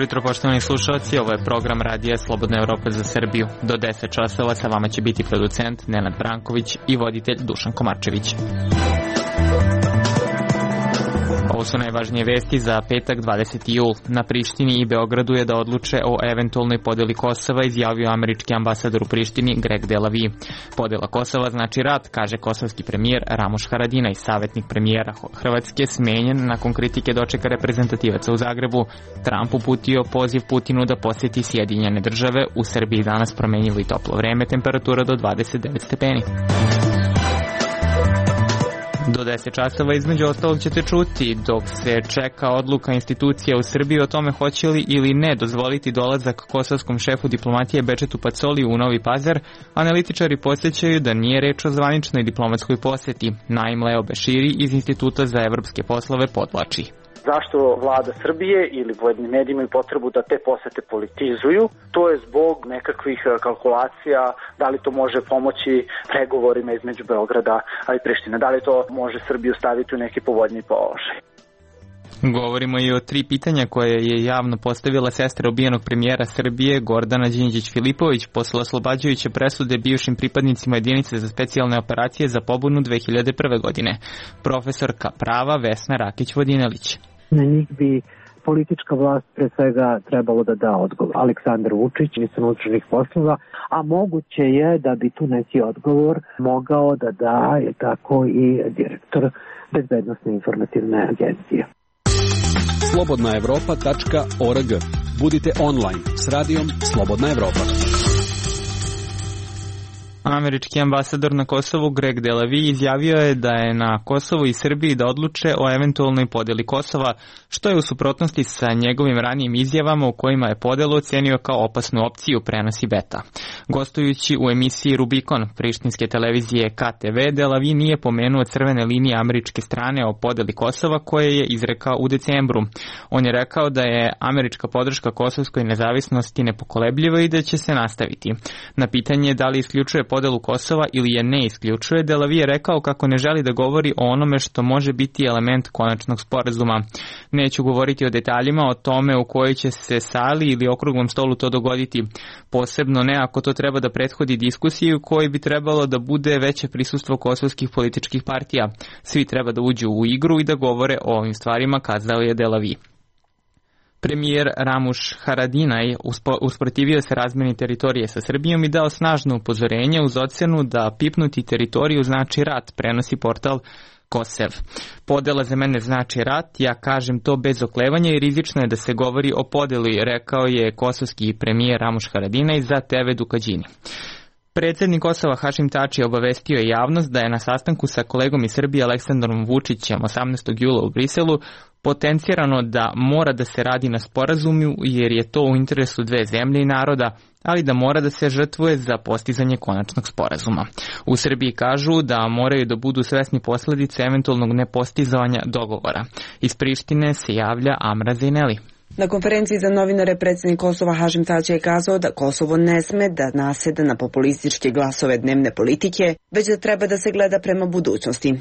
jutro, poštovani slušalci, ovo je program Radija Slobodna Evropa za Srbiju. Do 10 časova sa vama će biti producent Nenad Branković i voditelj Dušan Komarčević. Ovo su najvažnije vesti za petak 20. jul. Na Prištini i Beogradu je da odluče o eventualnoj podeli Kosova, izjavio američki ambasador u Prištini Greg Delavi. Podela Kosova znači rat, kaže kosovski premijer Ramuš Haradinaj, savjetnik premijera Hrvatske, smenjen nakon kritike dočeka reprezentativaca u Zagrebu. Trump uputio poziv Putinu da posjeti Sjedinjene Države. U Srbiji danas promenjivo i toplo vreme, temperatura do 29 stepeni. Do 10 časova između ostalog ćete čuti dok se čeka odluka institucija u Srbiji o tome hoće li ili ne dozvoliti dolazak kosovskom šefu diplomatije Bečetu Pacoli u Novi Pazar, analitičari podsjećaju da nije reč o zvaničnoj diplomatskoj posjeti. Naim Leo Beširi iz Instituta za evropske poslove podvlači. Zašto vlada Srbije ili pojedini mediji imaju potrebu da te posete politizuju? To je zbog nekakvih kalkulacija, da li to može pomoći pregovorima između Beograda i Prištine, da li to može Srbiju staviti u neki povoljniji položaj. Govorimo i o 3 pitanja koje je javno postavila sestra ubijenog premijera Srbije Gordana Đinđić-Filipović posle oslobađajuće presude bivšim pripadnicima jedinice za specijalne operacije za pobunu 2001. godine. Profesorka prava Vesna Rakić-Vodinelić. Na njih bi politička vlast pre svega trebalo da da odgovor. Aleksandar Vučić, ministar unutrašnjih poslova, a moguće je da bi tu neki odgovor mogao da da je tako i direktor Bezbednosne informativne agencije. slobodnaevropa.org. Budite online s radijom Slobodna Evropa. Američki ambasador na Kosovu Greg Delavi izjavio je da je na Kosovu i Srbiji da odluče o eventualnoj podeli Kosova, što je u suprotnosti sa njegovim ranijim izjavama u kojima je podelu ocenio kao opasnu opciju, prenosi Beta. Gostujući u emisiji Rubikon prištinske televizije KTV, Delavi nije pomenuo crvene linije američke strane o podeli Kosova koje je izrekao u decembru. On je rekao da je američka podrška kosovskoj nezavisnosti nepokolebljiva i da će se nastaviti. Na pitanje da li isključuje podelu Kosova ili je ne isključuje, Delavi je rekao kako ne želi da govori o onome što može biti element konačnog sporazuma. Neću govoriti o detaljima o tome u kojoj će se sali ili okruglom stolu to dogoditi, posebno ne ako to treba da prethodi diskusiji u kojoj bi trebalo da bude veće prisustvo kosovskih političkih partija. Svi treba da uđu u igru i da govore o ovim stvarima, kazao je Delavi. Premijer Ramuš Haradinaj usprotivio se razmeni teritorije sa Srbijom i dao snažno upozorenje uz ocenu da pipnuti teritoriju znači rat, prenosi portal Kosev. Podela za mene znači rat, ja kažem to bez oklevanja i rizično je da se govori o podeli, rekao je kosovski premijer Ramuš Haradinaj za TV Dukađini. Predsjednik Kosova Hašim Tači obavestio je javnost da je na sastanku sa kolegom iz Srbije Aleksandrom Vučićem 18. jula u Briselu potencirano da mora da se radi na sporazumu jer je to u interesu dve zemlje i naroda, ali da mora da se žrtvuje za postizanje konačnog sporazuma. U Srbiji kažu da moraju da budu svesni posljedice eventualnog nepostizavanja dogovora. Iz Prištine se javlja Amra Zejneli. Na konferenciji za novinare predsjednik Kosova Hašim Tači je kazao da Kosovo ne sme da naseda na populističke glasove dnevne politike, već da treba da se gleda prema budućnosti.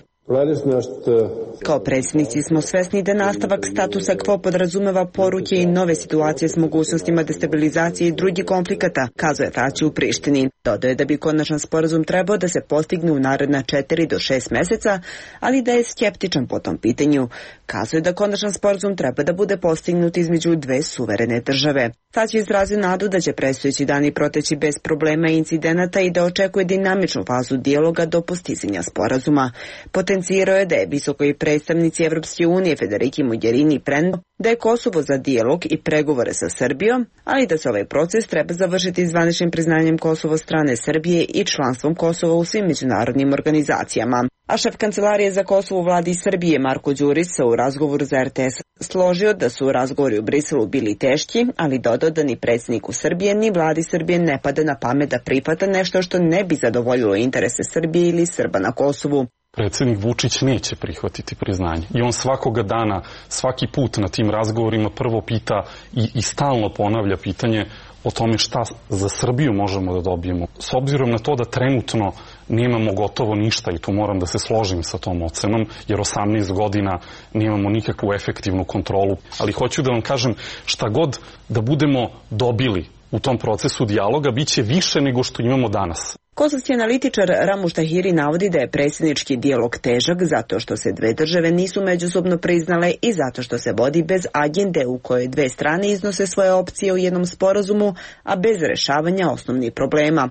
Kao predsjednici smo svesni da nastavak statusa quo podrazumeva poruke i nove situacije s mogućnostima destabilizacije i drugih konflikata, kazao je Tači u Prištini. Dodao je da bi konačan sporazum trebao da se postigne u naredna 4 do 6 meseca, ali da je skeptičan po tom pitanju. Kazao je da konačan sporazum treba da bude postignut između dve suverene države. Tači je izrazio nadu da će predstojeći dani proteći bez problema i incidenata i da očekuje dinamičnu fazu dijaloga do postizanja sporazuma. Potencirao je da je visokoj predstavnici Evropske unije Federiki Mogherini preneo da je Kosovo za dijalog i pregovore sa Srbijom, ali da se ovaj proces treba završiti zvaničnim priznanjem Kosova strane Srbije i članstvom Kosova u svim međunarodnim organizacijama. A šef kancelarije za Kosovo u vladi Srbije Marko Đurić se u razgovoru za RTS složio da su razgovori u Briselu bili teški, ali dodao da ni predsjedniku Srbije ni vladi Srbije ne pada na pamet da prihvata nešto što ne bi zadovoljilo interese Srbije ili Srba na Kosovu. Predsjednik Vučić neće prihvatiti priznanje. I on svakoga dana, svaki put na tim razgovorima prvo pita i stalno ponavlja pitanje o tome šta za Srbiju možemo da dobijemo. S obzirom na to da trenutno nemamo gotovo ništa i tu moram da se složim sa tom ocenom, jer 18 godina nemamo nikakvu efektivnu kontrolu. Ali hoću da vam kažem, šta god da budemo dobili u tom procesu dijaloga, bit će više nego što imamo danas. Kosovski analitičar Ramuš Tahiri navodi da je predsjednički dijalog težak zato što se dve države nisu međusobno priznale i zato što se vodi bez agende u kojoj dve strane iznose svoje opcije u jednom sporazumu, a bez rešavanja osnovnih problema.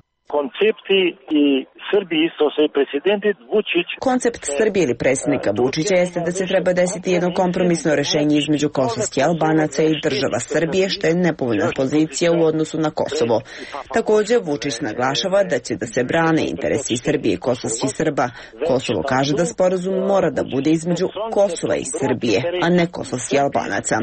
Koncept Srbije ili predsjednika Vučića jeste da se treba desiti jedno kompromisno rešenje između kosovskih Albanaca i država Srbije, što je nepovoljna pozicija u odnosu na Kosovo. Također, Vučić naglašava da će da se brane interesi Srbije i kosovskih Srba. Kosovo kaže da sporazum mora da bude između Kosova i Srbije, a ne kosovskih Albanaca.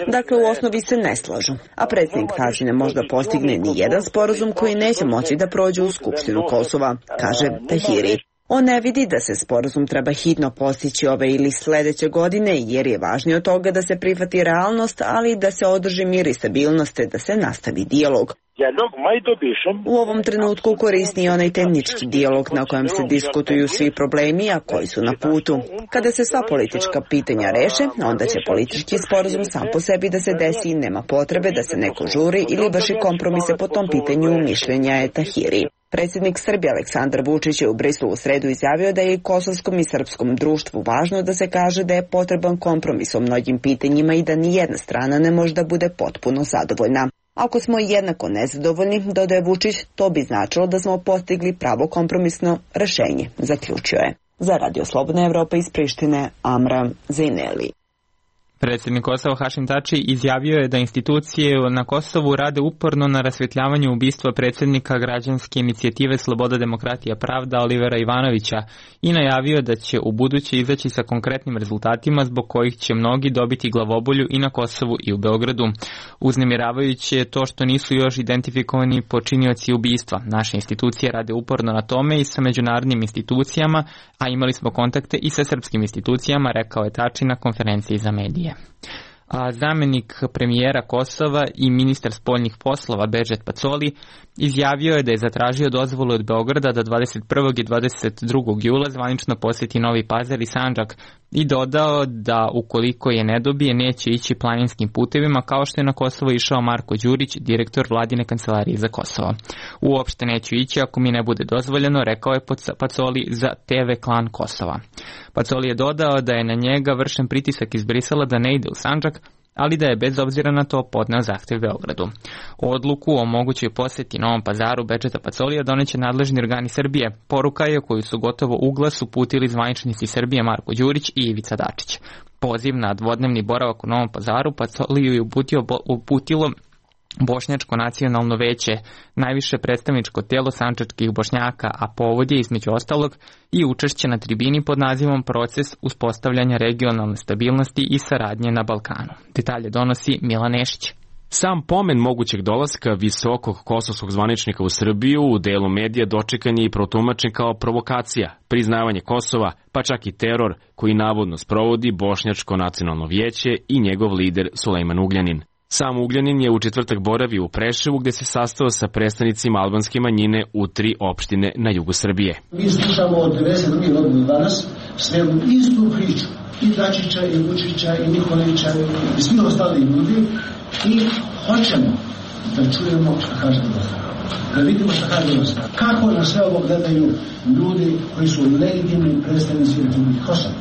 Dakle, u osnovi se ne slažu, a predsjednik kaže ne može da postigne ni jedan sporazum koji neće moći da prođe u Skupštinu Kosova, kaže Tahiri. On ne vidi da se sporazum treba hitno postići ove ili sledeće godine, jer je važnije od toga da se prihvati realnost, ali da se održi mir i stabilnost, te da se nastavi dijalog. U ovom trenutku korisni je onaj tehnički dijalog na kojem se diskutuju svi problemi, a koji su na putu. Kada se sva politička pitanja reše, onda će politički sporazum sam po sebi da se desi i nema potrebe da se neko žuri ili vrši kompromise po tom pitanju, mišljenja je Tahiri. Predsjednik Srbije Aleksandar Vučić je u Briselu u sredu izjavio da je i kosovskom i srpskom društvu važno da se kaže da je potreban kompromis o mnogim pitanjima i da ni jedna strana ne može da bude potpuno zadovoljna. Ako smo jednako nezadovoljni, dodaje Vučić, to bi značilo da smo postigli pravo kompromisno rešenje, zaključio je. Za Radio Slobodna Evropa iz Prištine, Amra Zejneli. Predsjednik Kosova Hašim Tači izjavio je da institucije na Kosovu rade uporno na rasvjetljavanju ubistva predsjednika građanske inicijative Sloboda, demokratija, pravda Olivera Ivanovića i najavio da će u buduće izaći sa konkretnim rezultatima zbog kojih će mnogi dobiti glavobolju i na Kosovu i u Beogradu. Uznemiravajuće je to što nisu još identifikovani počinioci ubistva. Naše institucije rade uporno na tome i sa međunarodnim institucijama, a imali smo kontakte i sa srpskim institucijama, rekao je Tači na konferenciji za medije. A zamjenik premijera Kosova i ministar spoljnih poslova Bežet Pacoli izjavio je da je zatražio dozvolu od Beograda da 21. i 22. jula zvanično posjeti Novi Pazar i Sandžak i dodao da ukoliko je ne dobije neće ići planinskim putevima kao što je na Kosovo išao Marko Đurić, direktor vladine kancelarije za Kosovo. Uopšte neću ići ako mi ne bude dozvoljeno, rekao je Pacoli za TV Klan Kosova. Pacoli je dodao da je na njega vršen pritisak iz Brisela da ne ide u Sandžak, ali da je bez obzira na to podneo zahtev Beogradu. Odluku o mogućoj posjeti Novom Pazaru Bedžeta Pacolija doneće nadležni organi Srbije. Poruka je koju su gotovo u glas uputili zvaničnici Srbije Marko Đurić i Ivica Dačić. Poziv na dvodnevni boravak u Novom Pazaru Pacoliju je uputilo Bošnjačko nacionalno veće, najviše predstavničko tijelo sandžačkih Bošnjaka, a povod je između ostalog i učešće na tribini pod nazivom Proces uspostavljanja regionalne stabilnosti i saradnje na Balkanu. Detalje donosi Milan Nešić. Sam pomen mogućeg dolaska visokog kosovskog zvaničnika u Srbiju u delu medija dočekan je i protumačen kao provokacija, priznavanje Kosova, pa čak i teror koji navodno sprovodi Bošnjačko nacionalno vijeće i njegov lider Sulejman Ugljanin. Sam Ugljanin je u četvrtak boravio u Preševu gde se sastao sa predstavnicima albanske manjine u 3 opštine na jugu Srbije. Mi slušamo od 92. godine do danas sve istu priču i Dačića i Vučića i Nikolića i svi ostali ljudi i hoćemo da čujemo šta kaže Dostava. Da vidimo šta kaže Dostava. Kako na sve ovo gledaju ljudi koji su legitimni predstavnici Republike Kosova.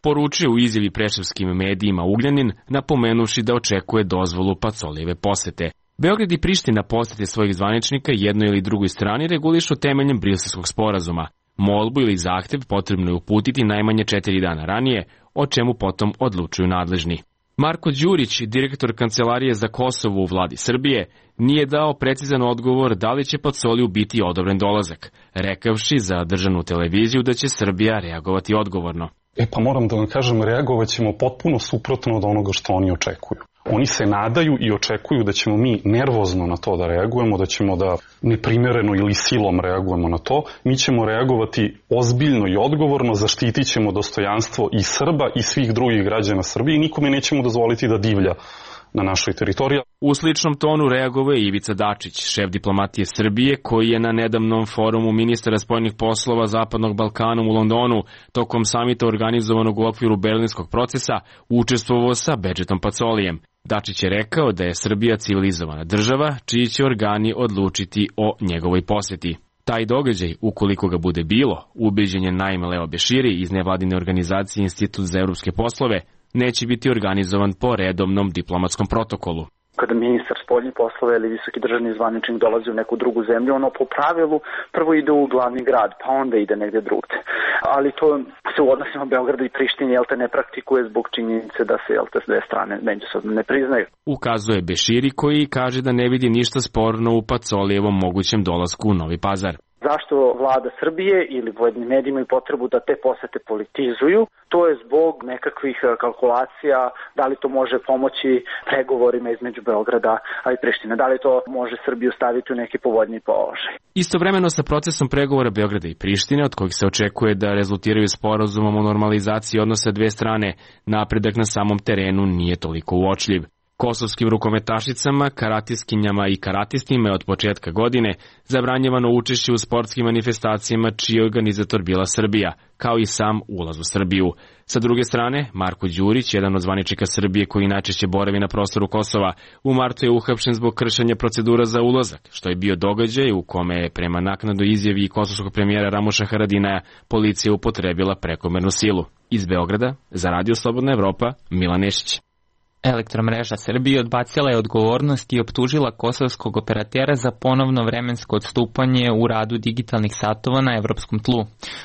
Poručio u izjavi preševskim medijima Ugljanin, napomenuši da očekuje dozvolu Pacolijeve posete. Beograd i Priština posete svojih zvaničnika jednoj ili drugoj strani regulišu temeljem Briselskog sporazuma. Molbu ili zahtev potrebno je uputiti najmanje 4 dana ranije, o čemu potom odlučuju nadležni. Marko Đurić, direktor Kancelarije za Kosovo u vladi Srbije, nije dao precizan odgovor da li će Pacoliju biti odobren dolazak, rekavši za državnu televiziju da će Srbija reagovati odgovorno. Pa moram da vam kažem, reagovat ćemo potpuno suprotno od onoga što oni očekuju. Oni se nadaju i očekuju da ćemo mi nervozno na to da reagujemo, da ćemo da neprimereno ili silom reagujemo na to. Mi ćemo reagovati ozbiljno i odgovorno, zaštitit ćemo dostojanstvo i Srba i svih drugih građana Srbije i nikome nećemo dozvoliti da divlja na našoj teritoriji. U sličnom tonu reagovao je Ivica Dačić, šef diplomatije Srbije, koji je na nedavnom forumu ministara spoljnih poslova Zapadnog Balkana u Londonu tokom samita organizovanog u okviru Berlinskog procesa učestvovao sa Bedžetom Pacolijem. Dačić je rekao da je Srbija civilizovana država, čiji će organi odlučiti o njegovoj poseti. Taj događaj, ukoliko ga bude bilo, ubeđen je Naim Leo Beširi iz nevladine organizacije Institut za evropske poslove, neće biti organizovan po redovnom diplomatskom protokolu. Kada ministar spoljnih poslova ili visoki državni zvaničnik dolazi u neku drugu zemlju, ono po pravilu prvo ide u glavni grad, pa onda ide negde drugde. Ali to se u odnosima Beograda i Prištine ne praktikuje zbog činjenice da se dve strane međusobno ne priznaju. Ukazuje Beširi, koji kaže da ne vidi ništa sporno u Pacolijevom mogućem dolasku u Novi Pazar. Zašto vlada Srbije ili pojedini mediji imaju potrebu da te posete politizuju? To je zbog nekakvih kalkulacija, da li to može pomoći pregovorima između Beograda i Prištine, da li to može Srbiju staviti u neki povoljniji položaj. Istovremeno sa procesom pregovora Beograda i Prištine, od kojih se očekuje da rezultiraju sporazumom o normalizaciji odnosa dve strane, napredak na samom terenu nije toliko uočljiv. Kosovskim rukometašicama, karatiskinjama i karatistima je od početka godine zabranjevano učešće u sportskim manifestacijama čiji je organizator bila Srbija, kao i sam ulaz u Srbiju. Sa druge strane, Marko Đurić, jedan od zvaničnika Srbije koji najčešće boravi na prostoru Kosova, u martu je uhapšen zbog kršenja procedura za ulazak, što je bio događaj u kome je prema naknadnoj izjavi kosovskog premijera Ramuša Haradinaja policija upotrebila prekomernu silu. Iz Beograda, za Radio Slobodna Evropa, Milan Nešić. Elektromreža Srbije odbacila je odgovornost i optužila kosovskog operatera za ponovno vremensko odstupanje u radu digitalnih satova na evropskom tlu.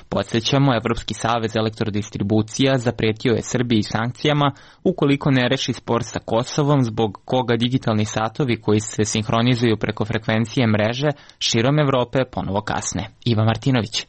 Podsjećamo, Evropski savez elektrodistribucija zapretio je Srbiji sankcijama ukoliko ne reši spor sa Kosovom, zbog koga digitalni satovi koji se sinhronizuju preko frekvencije mreže širom Evrope ponovo kasne. Iva Martinović.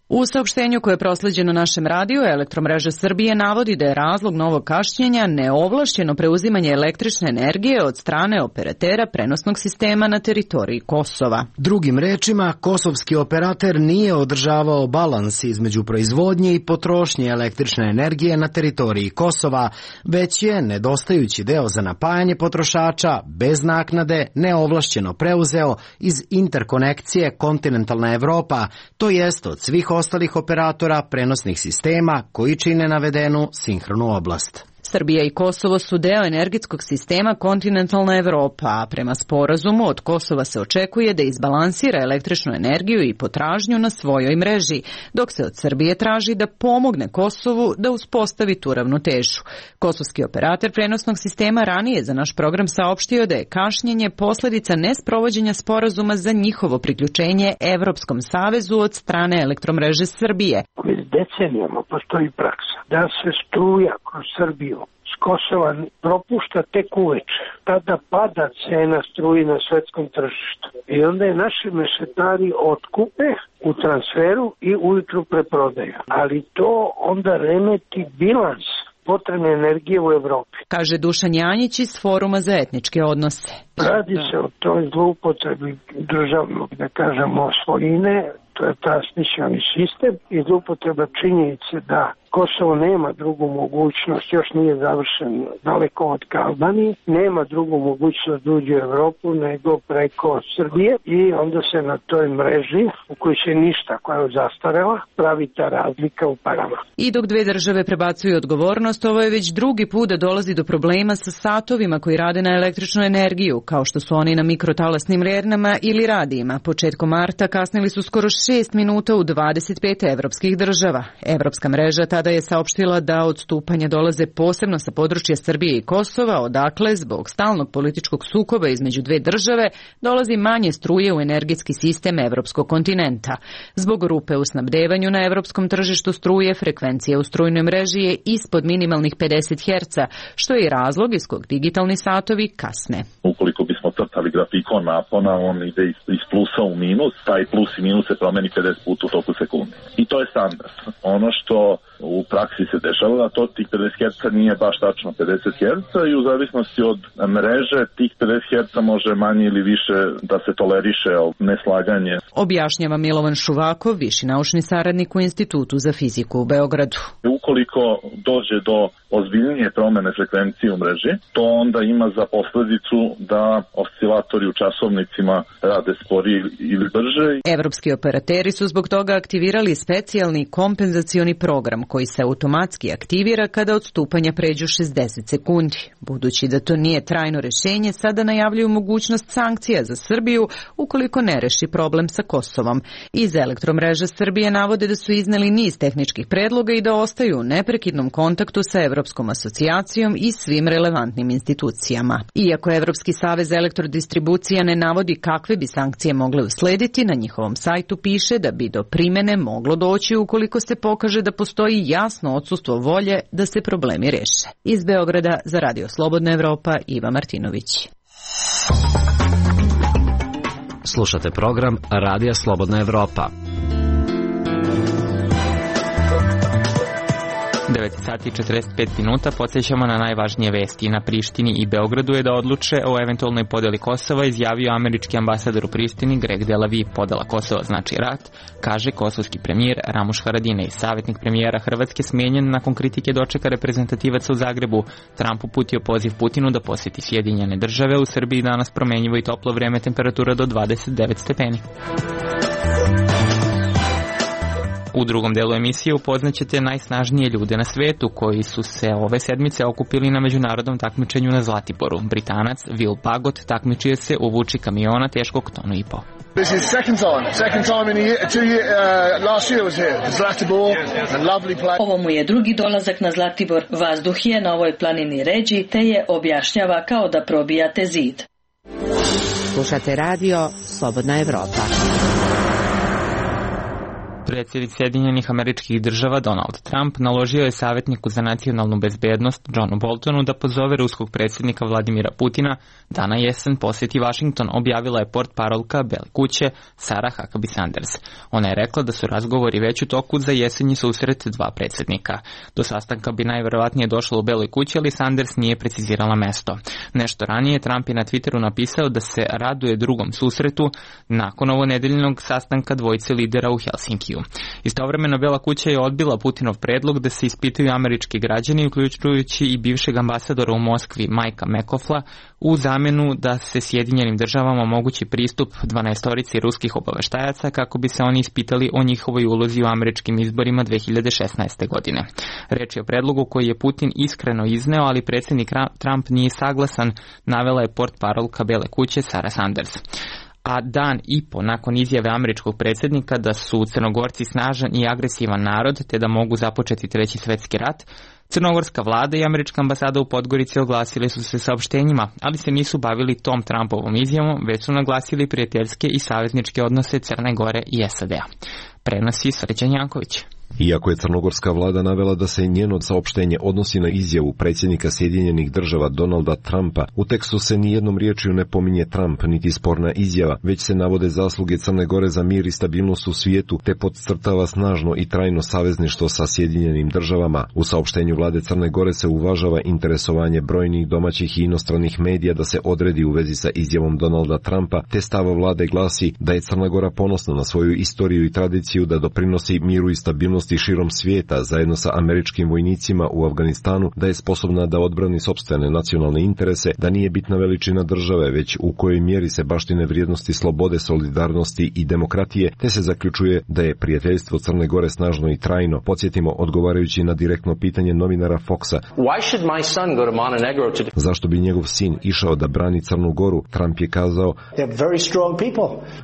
U saopštenju koje je prosleđeno našem radiju, Elektromreža Srbije navodi da je razlog novog kašnjenja neovlašćeno preuzimanje električne energije od strane operatera prenosnog sistema na teritoriji Kosova. Drugim rečima, kosovski operater nije održavao balans između proizvodnje i potrošnje električne energije na teritoriji Kosova, već je nedostajući deo za napajanje potrošača bez naknade neovlašćeno preuzeo iz interkonekcije Kontinentalna Evropa, to jest od svih ostalih operatora prenosnih sistema koji čine navedenu sinhronu oblast. Srbija i Kosovo su deo energetskog sistema Kontinentalna Evropa, a prema sporazumu od Kosova se očekuje da izbalansira električnu energiju i potražnju na svojoj mreži, dok se od Srbije traži da pomogne Kosovu da uspostavi tu ravnotežu. Kosovski operator prenosnog sistema ranije za naš program saopštio da je kašnjenje posledica nesprovođenja sporazuma za njihovo priključenje Evropskom savezu od strane Elektromreže Srbije. Već decenijama postoji praksa da se struja kroz Srbiju s Kosova propušta tek uveče. Tada pada cena struji na svetskom tržištu. I onda je naši mešetari otkupe u transferu i ujutru preprodaju. Ali to onda remeti bilans potrebne energije u Evropi. Kaže Dušan Janjić iz Foruma za etničke odnose. Radi se o toj zloupotrebi državnog, da kažemo, svojine, to je transmisioni sistem i zloupotreba činjenice da Kosovo nema drugu mogućnost, još nije završen daleko od Albanije, nema drugu mogućnost da uđe u Evropu nego preko Srbije i onda se na toj mreži, u kojoj se ništa, koja je zastarela, pravi ta razlika u parama. I dok dve države prebacuju odgovornost, ovo je već drugi put da dolazi do problema sa satovima koji rade na električnu energiju, kao što su oni na mikrotalasnim rernama ili radijima. Početkom marta kasnili su skoro 6 minuta u 25 evropskih država. Evropska mreža tada je saopštila da odstupanja dolaze posebno sa područja Srbije i Kosova, odakle zbog stalnog političkog sukoba između dve države dolazi manje struje u energetski sistem evropskog kontinenta. Zbog rupe u snabdevanju na evropskom tržištu struje, frekvencija u strujnoj mreži je ispod minimalnih 50 Hz, što je i razlog iz kog digitalni satovi kasne. Ukoliko bismo crtali grafikon napona, on ide iz plusa u minus, taj plus i minus se promeni 50 puta u toku sekunde. I to je standard. Ono što u praksi se dešava, a to tih 50 Hz nije baš tačno 50 Hz i u zavisnosti od mreže tih 50 Hz može manje ili više da se toleriše neslaganje. Objašnjava Milovan Šuvakov, viši naučni saradnik u Institutu za fiziku u Beogradu. Ukoliko dođe do ozbiljnije promene frekvencije u mreži, to onda ima za posledicu da oscilatori u časovnicima rade sporije ili brže. Evropski operateri su zbog toga aktivirali specijalni kompenzacioni program koji se automatski aktivira kada odstupanja pređu 60 sekundi. Budući da to nije trajno rešenje, sada najavljuju mogućnost sankcija za Srbiju ukoliko ne reši problem sa Kosovom. Iz Elektromreža Srbije navode da su izneli niz tehničkih predloga i da ostaju u neprekidnom kontaktu sa Evropskom asocijacijom i svim relevantnim institucijama. Iako Evropski savez elektrodistribucija ne navodi kakve bi sankcije mogle uslediti, na njihovom sajtu piše da bi do primene moglo doći ukoliko se pokaže da postoji jasno odsustvo volje da se problemi reše. Iz Beograda za Radio Slobodna Evropa, Iva Martinović. Slušate program Radija Slobodna Evropa. 9 sati i 45 minuta, podsjećamo na najvažnije vesti. Na Prištini i Beogradu je da odluče o eventualnoj podeli Kosova, izjavio američki ambasador u Prištini Greg Delavi. Podela Kosova znači rat, kaže kosovski premijer Ramuš Haradinaj. Savjetnik premijera Hrvatske smenjen nakon kritike dočeka reprezentativaca u Zagrebu. Trump uputio poziv Putinu da posjeti Sjedinjene Države. U Srbiji danas promenjivo i toplo vreme, temperatura do 29 stepeni. U drugom delu emisije upoznaćete najsnažnije ljude na svetu koji su se ove sedmice okupili na međunarodnom takmičenju na Zlatiboru. Britanac Will Pagot takmičio se u vuči kamiona teškog tonu i po. This is second time in last year was here. Zlatibor, a lovely place. Ovo mu je drugi dolazak na Zlatibor. Vazduh je na ovoj planini ređi, te je objašnjava kao da probijate zid. Slušate radio Slobodna Evropa. Predsjednik Sjedinjenih Američkih Država Donald Trump naložio je savjetniku za nacionalnu bezbednost Johnu Boltonu da pozove ruskog predsjednika Vladimira Putina da na jesen posjeti Washington, objavila je portparolka Bele kuće Sarah Huckabee Sanders. Ona je rekla da su razgovori već u toku za jesenji susret dva predsjednika. Do sastanka bi najverovatnije došlo u Beloj kući, ali Sanders nije precizirala mesto. Nešto ranije Trump je na Twitteru napisao da se raduje drugom susretu nakon ovonedeljnog sastanka dvojice lidera u Helsinkiju. Istovremeno Bela kuća je odbila Putinov predlog da se ispitaju američki građani, uključujući i bivšeg ambasadora u Moskvi Majka McCauffa, u zamjenu da se Sjedinjenim Državama omogući pristup 12 ruskih obaveštajaca kako bi se oni ispitali o njihovoj ulozi u američkim izborima 2016. godine. Reč je o predlogu koji je Putin iskreno izneo, ali predsjednik Trump nije saglasan, navela je portparolka Bele kuće Sarah Sanders. A dan i po nakon izjave američkog predsjednika da su Crnogorci snažan i agresivan narod te da mogu započeti Treći svjetski rat, crnogorska vlada i američka ambasada u Podgorici oglasili su se saopštenjima, ali se nisu bavili tom Trumpovom izjavom, već su naglasili prijateljske i savezničke odnose Crne Gore i SAD-a. Prenosi Srećan Janković. Iako je crnogorska vlada navela da se njeno saopštenje odnosi na izjavu predsjednika Sjedinjenih Država Donalda Trumpa, u tekstu se nijednom riječju ne pominje Trump niti sporna izjava, već se navode zasluge Crne Gore za mir i stabilnost u svijetu, te podcrtava snažno i trajno savezništvo sa Sjedinjenim Državama. U saopštenju vlade Crne Gore se uvažava interesovanje brojnih domaćih i inostranih medija da se odredi u vezi sa izjavom Donalda Trumpa, te stav vlade glasi da je Crna Gora ponosna na svoju istoriju i tradiciju da doprinosi miru i stabilnosti širom svijeta zajedno sa američkim vojnicima u Afganistanu, da je sposobna da odbrani sopstvene nacionalne interese, da nije bitna veličina države, već u kojoj mjeri se baštine vrijednosti slobode, solidarnosti i demokratije, te se zaključuje da je prijateljstvo Crne Gore snažno i trajno. Podsjetimo, odgovarajući na direktno pitanje novinara Foxa, zašto bi njegov sin išao da brani Crnu Goru, Trump je kazao,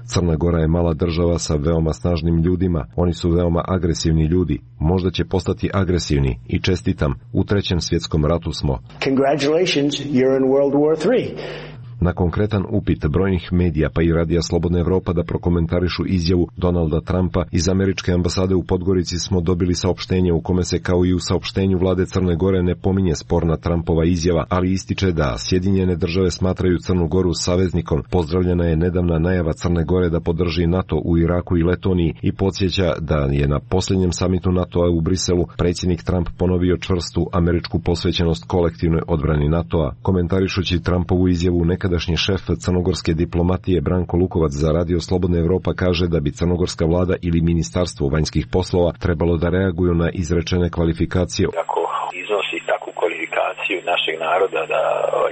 Crna Gora je mala država sa veoma snažnim ljudima, oni su veoma agresivni ljudi, možda će postati agresivni i čestitam, u Trećem svjetskom ratu smo. Na konkretan upit brojnih medija pa i Radija Slobodna Evropa da prokomentarišu izjavu Donalda Trumpa iz američke ambasade u Podgorici smo dobili saopštenje u kome se kao i u saopštenju vlade Crne Gore ne pominje sporna Trumpova izjava, ali ističe da Sjedinjene države smatraju Crnu Goru saveznikom. Pozdravljena je nedavna najava Crne Gore da podrži NATO u Iraku i Letoniji i podsjeća da je na posljednjem samitu NATO-a u Briselu predsjednik Trump ponovio čvrstu američku posvećenost kolektivnoj odbrani NATO-a. Komentarišući Trumpovu izjavu, nekadašnji šef crnogorske diplomatije Branko Lukovac za Radio Slobodna Evropa kaže da bi crnogorska vlada ili ministarstvo vanjskih poslova trebalo da reaguju na izrečene kvalifikacije. Ako iznosi takvu kvalifikaciju našeg naroda da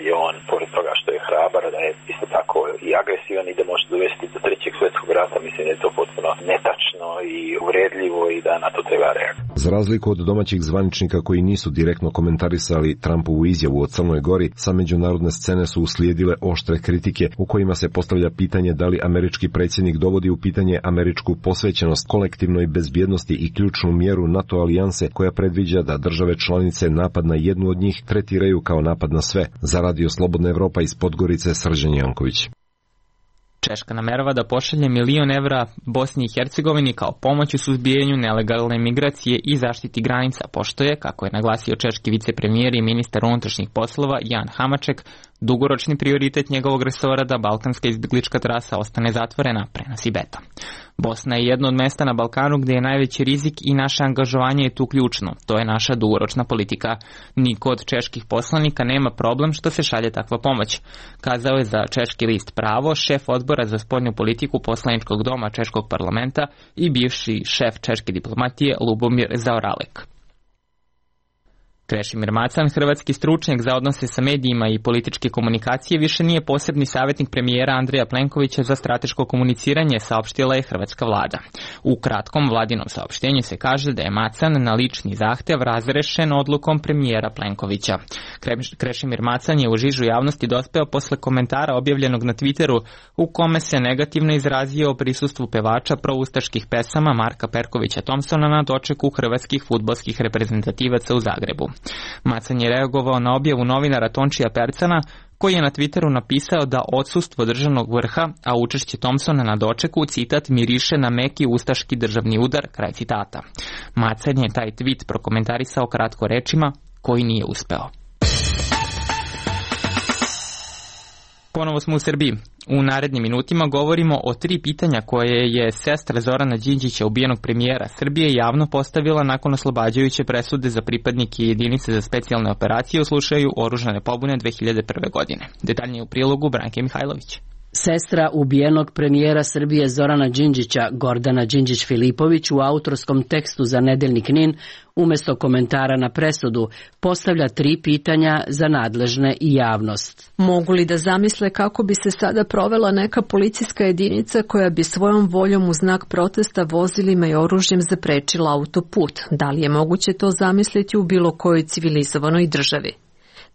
je on, pored toga što je hrabar, da je isto tako i agresivan i da može dovesti do trećeg svjetskog rata, mislim da je to potpuno netačno i uvredljivo i da na to treba reagovati. Za razliku od domaćih zvaničnika koji nisu direktno komentarisali Trumpovu izjavu o Crnoj Gori, sa međunarodne scene su uslijedile oštre kritike u kojima se postavlja pitanje da li američki predsjednik dovodi u pitanje američku posvećenost kolektivnoj bezbjednosti i ključnu mjeru NATO alijanse koja predviđa da države članice napad na jednu od njih tretiraju kao napad na sve. Za Radio Slobodna Evropa iz Podgorice, Srđan Janković. Češka namerava da pošalje $1 milion Bosni i Hercegovini kao pomoć u suzbijanju nelegalne migracije i zaštiti granica, pošto je, kako je naglasio češki vicepremijer i ministar unutrašnjih poslova Jan Hamaček, dugoročni prioritet njegovog resora da balkanska izbjeglička trasa ostane zatvorena, prenosi Beta. Bosna je jedno od mesta na Balkanu gdje je najveći rizik i naše angažovanje je tu ključno. To je naša dugoročna politika. Niko od čeških poslanika nema problem što se šalje takva pomoć, kazao je za češki list Pravo šef odbora za spoljnu politiku poslaničkog doma češkog parlamenta i bivši šef češke diplomatije Lubomir Zaoralek. Krešimir Macan, hrvatski stručnjak za odnose sa medijima i političke komunikacije, više nije posebni savjetnik premijera Andreja Plenkovića za strateško komuniciranje, saopštila je hrvatska vlada. U kratkom vladinom saopštenju se kaže da je Macan na lični zahtjev razrešen odlukom premijera Plenkovića. Krešimir Macan je u žižu javnosti dospeo posle komentara objavljenog na Twitteru u kome se negativno izrazio o prisustvu pevača proustaških pesama Marka Perkovića Thompsona na dočeku hrvatskih fudbalskih reprezentativaca u Zagrebu. Macan je reagovao na objavu novinara Tončija Percana, koji je na Twitteru napisao da odsustvo državnog vrha, a učešće Thompsona na dočeku, citat, miriše na meki ustaški državni udar, kraj citata. Macan je taj tweet prokomentarisao kratko rečima, koji nije uspeo. Ponovo smo u Srbiji. U narednim minutima govorimo o 3 pitanja koje je sestra Zorana Đinđića, ubijenog premijera Srbije, javno postavila nakon oslobađajuće presude za pripadnike jedinice za specijalne operacije u slučaju oružane pobune 2001. godine. Detaljnije u prilogu Branke Mihajlović. Sestra ubijenog premijera Srbije Zorana Đinđića, Gordana Đinđić-Filipović, u autorskom tekstu za nedeljnik NIN, umjesto komentara na presudu, postavlja 3 pitanja za nadležne i javnost. Mogu li da zamisle kako bi se sada provela neka policijska jedinica koja bi svojom voljom u znak protesta vozilima i oružjem zaprečila autoput? Da li je moguće to zamisliti u bilo kojoj civilizovanoj državi?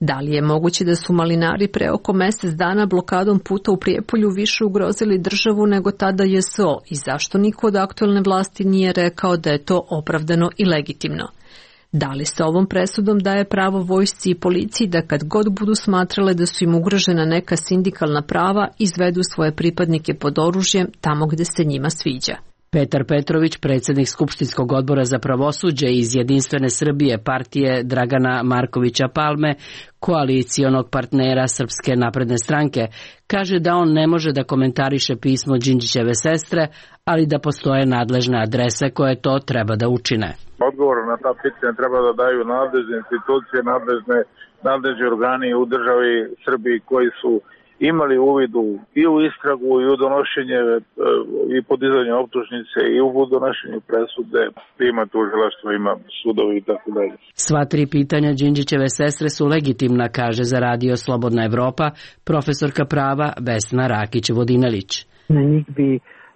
Da li je moguće da su malinari pre oko mjesec dana blokadom puta u Prijepolju više ugrozili državu nego tada JSO i zašto niko od aktuelne vlasti nije rekao da je to opravdano i legitimno? Da li se ovom presudom daje pravo vojsci i policiji da kad god budu smatrale da su im ugrožena neka sindikalna prava, izvedu svoje pripadnike pod oružjem tamo gde se njima sviđa? Petar Petrović, predsjednik Skupštinskog odbora za pravosuđe iz Jedinstvene Srbije partije Dragana Markovića Palme, koalicijonog partnera Srpske napredne stranke, kaže da on ne može da komentariše pismo Đinđićeve sestre, ali da postoje nadležne adrese koje to treba da učine. Odgovor na ta pitanja treba da daju nadležne institucije, nadležni organi u državi Srbiji koji su imali uvidu i u istragu i u donošenje i podizanje optužnice i u donošenju presude, ima tužilaštvo, ima sudovi i tako dalje. Sva 3 pitanja Đinđićeve sestre su legitimna, kaže za Radio Slobodna Evropa profesorka prava Vesna Rakić-Vodinelić. Na njih bi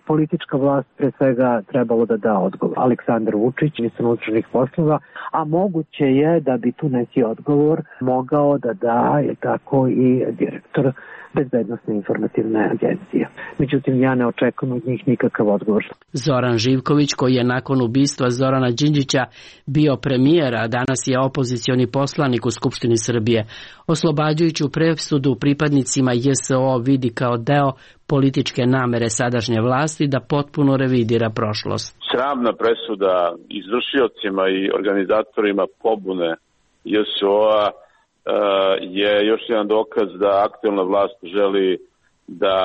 politička vlast pre svega trebalo da da odgovor. Aleksandar Vučić, ministar unutrašnjih poslova, a moguće je da bi tu neki odgovor mogao da da je tako i direktor Bezbednosne informativne agencije. Međutim, ja ne očekujem od njih nikakav odgovor. Zoran Živković, koji je nakon ubistva Zorana Đinđića bio premijer, a danas je opozicioni poslanik u Skupštini Srbije, oslobađajuću presudu pripadnicima JSO vidi kao deo političke namere sadašnje vlasti da potpuno revidira prošlost. Sramna presuda izvršiocima i organizatorima pobune JSO-a je još jedan dokaz da aktuelna vlast želi da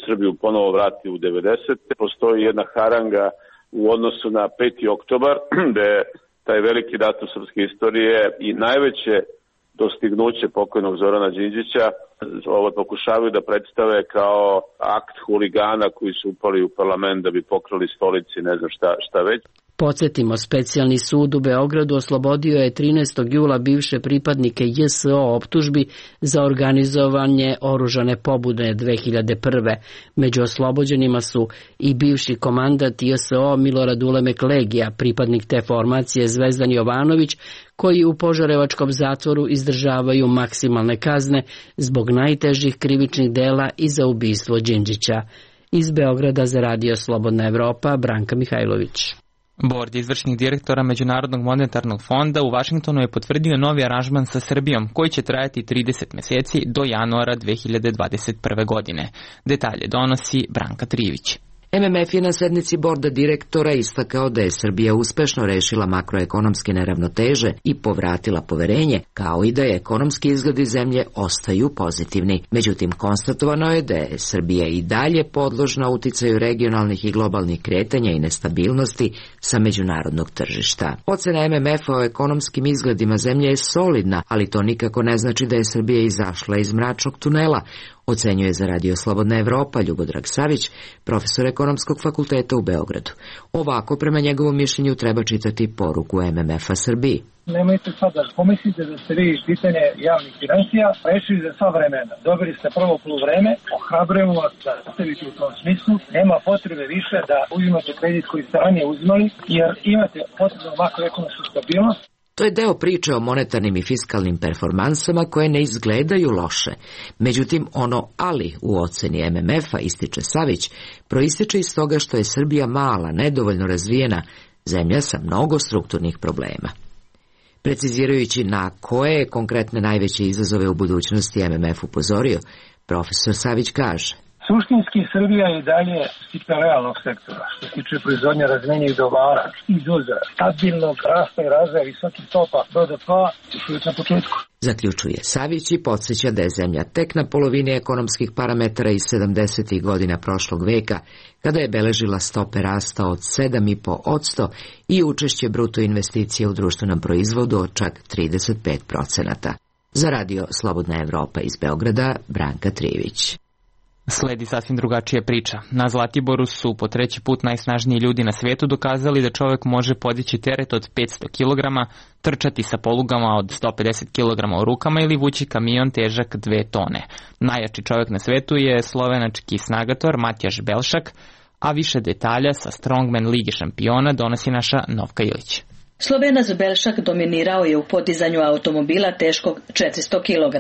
Srbiju ponovo vrati u 90. Postoji jedna haranga u odnosu na 5. oktobar, gde taj veliki datum srpske istorije i najveće dostignuće pokojnog Zorana Đinđića ovo pokušavaju da predstave kao akt huligana koji su upali u parlament da bi pokrali stolici, ne znam šta već. Podsjetimo, specijalni sud u Beogradu oslobodio je 13. jula bivše pripadnike JSO optužbi za organizovanje oružane pobude 2001. Među oslobođenima su i bivši komandant JSO Milorad Ulemek Legija, pripadnik te formacije Zvezdan Jovanović, koji u požarevačkom zatvoru izdržavaju maksimalne kazne zbog najtežih krivičnih dela i za ubistvo Đinđića. Iz Beograda za Radio Slobodna Evropa, Branka Mihajlović. Bord izvršnih direktora Međunarodnog monetarnog fonda u Vašingtonu je potvrdio novi aranžman sa Srbijom koji će trajati 30 meseci do januara 2021. godine. Detalje donosi Branka Trivić. MMF je na sednici borda direktora istakao da je Srbija uspešno rešila makroekonomske neravnoteže i povratila poverenje, kao i da je ekonomski izgledi zemlje ostaju pozitivni. Međutim, konstatovano je da je Srbija i dalje podložna uticaju regionalnih i globalnih kretanja i nestabilnosti sa međunarodnog tržišta. Ocena MMF-a o ekonomskim izgledima zemlje je solidna, ali to nikako ne znači da je Srbija izašla iz mračnog tunela, ocenjuje za Radio Slobodna Evropa Ljubodrag Savić, profesor ekonomskog fakulteta u Beogradu. Ovako, prema njegovom mišljenju, treba čitati poruku MMF-a Srbiji. Nemojte sad da pomislite da ste vi pitanje javnih financija rešili za sva vremena. Dobili ste prvo poluvreme, ohrabrujemo vas da nastavite u tom smislu. Nema potrebe više da uzimate kredit koji ste ranije uzimali, jer imate potrebnu makroekonomsku stabilnost. To je deo priče o monetarnim i fiskalnim performansama koje ne izgledaju loše. Međutim, ono ali u oceni MMF-a, ističe Savić, proističe iz toga što je Srbija mala, nedovoljno razvijena zemlja sa mnogo strukturnih problema. Precizirajući na koje konkretne najveće izazove u budućnosti MMF upozorio, profesor Savić kaže: Suštinski Srbija je dalje stipe realnog sektora, što se tiče proizvodnje razmenjivih dobara, izvoza, stabilnog rasta i razvoja visokih stopa BDP-a još na početku. Zaključuje Savić i podsjeća da je zemlja tek na polovini ekonomskih parametara iz 70. godina prošlog veka, kada je beležila stope rasta od 7,5% i učešće bruto investicije u društvenom proizvodu od čak 35%. Za Radio Slobodna Evropa iz Beograda, Branka Trivić. Sledi sasvim drugačija priča. Na Zlatiboru su po treći put najsnažniji ljudi na svetu dokazali da čovjek može podići teret od 500 kg, trčati sa polugama od 150 kg u rukama ili vući kamion težak 2 tone. Najjači čovjek na svetu je slovenački snagator Matjaž Belšak, a više detalja sa Strongman Lige šampiona donosi naša Novka Ilić. Slovenac Belšak dominirao je u podizanju automobila teškog 400 kg.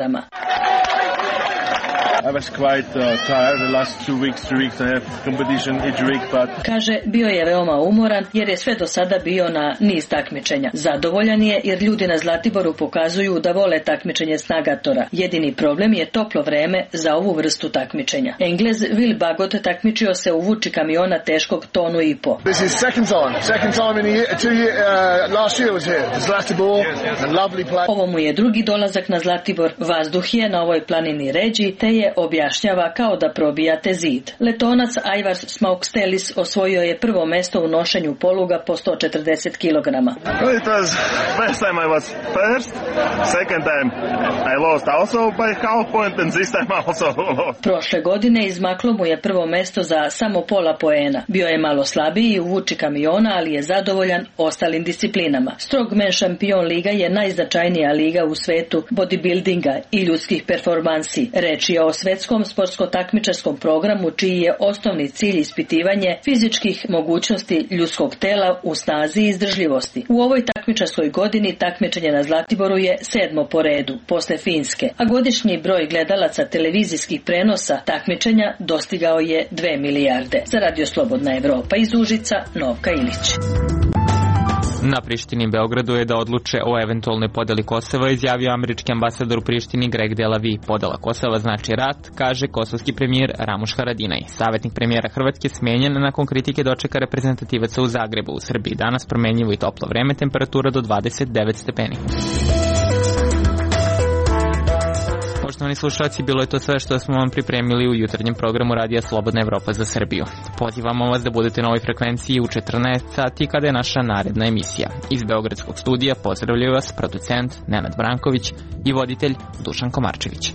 I was quite tired the last 2 weeks, 3 weeks I have competition each week, but... Kaže, bio je veoma umoran jer je sve do sada bio na niz takmičenja. Zadovoljan je jer ljudi na Zlatiboru pokazuju da vole takmičenje snagatora. Jedini problem je toplo vreme za ovu vrstu takmičenja. Englez Will Bagot takmičio se u vuči kamiona teškog 1,5 tonu. This is second time in last year was here. Zlatibor, a lovely place. Ovo mu je drugi dolazak na Zlatibor. Vazduh je na ovoj planini ređi, te je objašnjava kao da probijate zid. Letonac Ajvars Smaukstelis osvojio je prvo mesto u nošenju poluga po 140 kg. It was first time I was first, second time I lost also by half point and this time also lost. Prošle godine izmaklo mu je prvo mesto za samo pola poena. Bio je malo slabiji u vuči kamiona, ali je zadovoljan ostalim disciplinama. Strongman šampion liga je najznačajnija liga u svetu bodybuildinga i ljudskih performansi. Reč je o svetskom sportsko-takmičarskom programu čiji je osnovni cilj ispitivanje fizičkih mogućnosti ljudskog tela u snazi i izdržljivosti. U ovoj takmičarskoj godini takmičenje na Zlatiboru je 7. po redu, posle Finske, a godišnji broj gledalaca televizijskih prenosa takmičenja dostigao je 2 milijarde. Za Radio Slobodna Evropa iz Užica, Novka Ilić. Na Prištini i Beogradu je da odluče o eventualnoj podeli Kosova, izjavio američki ambasador u Prištini Greg Delavi. Podela Kosova znači rat, kaže kosovski premijer Ramuš Haradinaj. Savjetnik premijera Hrvatske smenjen nakon kritike dočeka reprezentativaca u Zagrebu. U Srbiji danas promenjivo i toplo vreme, temperatura do 29 stepeni. Poštovani slušalci, bilo je to sve što smo vam pripremili u jutarnjem programu Radija Slobodna Evropa za Srbiju. Pozivamo vas da budete na ovoj frekvenciji u 14 sati kada je naša naredna emisija. Iz Beogradskog studija pozdravljaju vas producent Nenad Branković i voditelj Dušan Komarčević.